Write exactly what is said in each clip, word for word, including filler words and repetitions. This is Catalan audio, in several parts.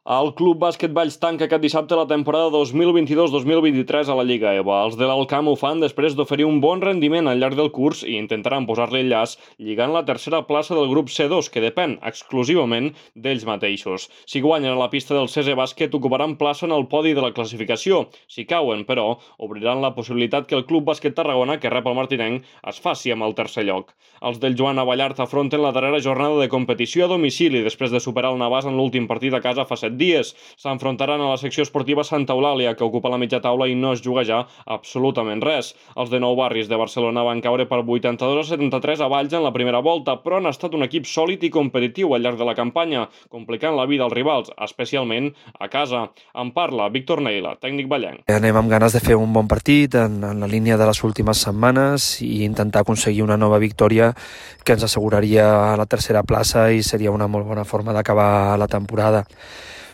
El Club Bàsquet Valls tanca aquest dissabte la temporada dos mil vint-i-dos dos mil vint-i-tres a la Lliga E V A. Els de l'Alcamp ho fan després d'oferir un bon rendiment al llarg del curs i intentaran posar-li el llaç lligant la tercera plaça del grup C dos, que depèn exclusivament d'ells mateixos. Si guanyen a la pista del C S Bàsquet, ocuparan plaça en el podi de la classificació. Si cauen, però, obriran la possibilitat que el Club Bàsquet Tarragona, que rep el martinenc, es faci amb el tercer lloc. Els del Joan Abellart afronten la darrera jornada de competició a domicili després de superar el Navàs en l'últim partit a casa fa set dies. S'enfrontaran a la secció esportiva Santa Eulàlia, que ocupa la mitja taula i no es juga ja absolutament res. Els de Nou Barris de Barcelona van caure per vuitanta-dos a setanta-tres a Valls en la primera volta, però han estat un equip sòlid i competitiu al llarg de la campanya, complicant la vida als rivals, especialment a casa. En parla Víctor Neila, tècnic vallenc. Anem amb ganes de fer un bon partit en, en la línia de les últimes setmanes i intentar aconseguir una nova victòria que ens asseguraria la tercera plaça i seria una molt bona forma d'acabar la temporada.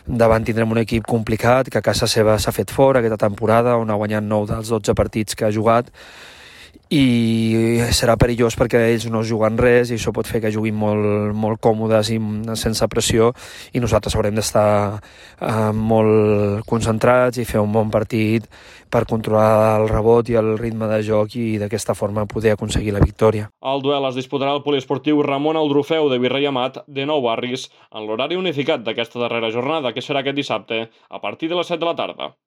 Davant tindrem un equip complicat que a casa seva s'ha fet fort aquesta temporada, on ha guanyat nou dels dotze partits que ha jugat, i serà perillós perquè ells no juguen res i això pot fer que juguin molt, molt còmodes i sense pressió, i nosaltres haurem d'estar eh, molt concentrats i fer un bon partit per controlar el rebot i el ritme de joc i d'aquesta forma poder aconseguir la victòria. El duel es disputarà al poliesportiu Ramon Aldrufeu de Virrei Amat de Nou Barris en l'horari unificat d'aquesta darrera jornada, que serà aquest dissabte a partir de les set de la tarda.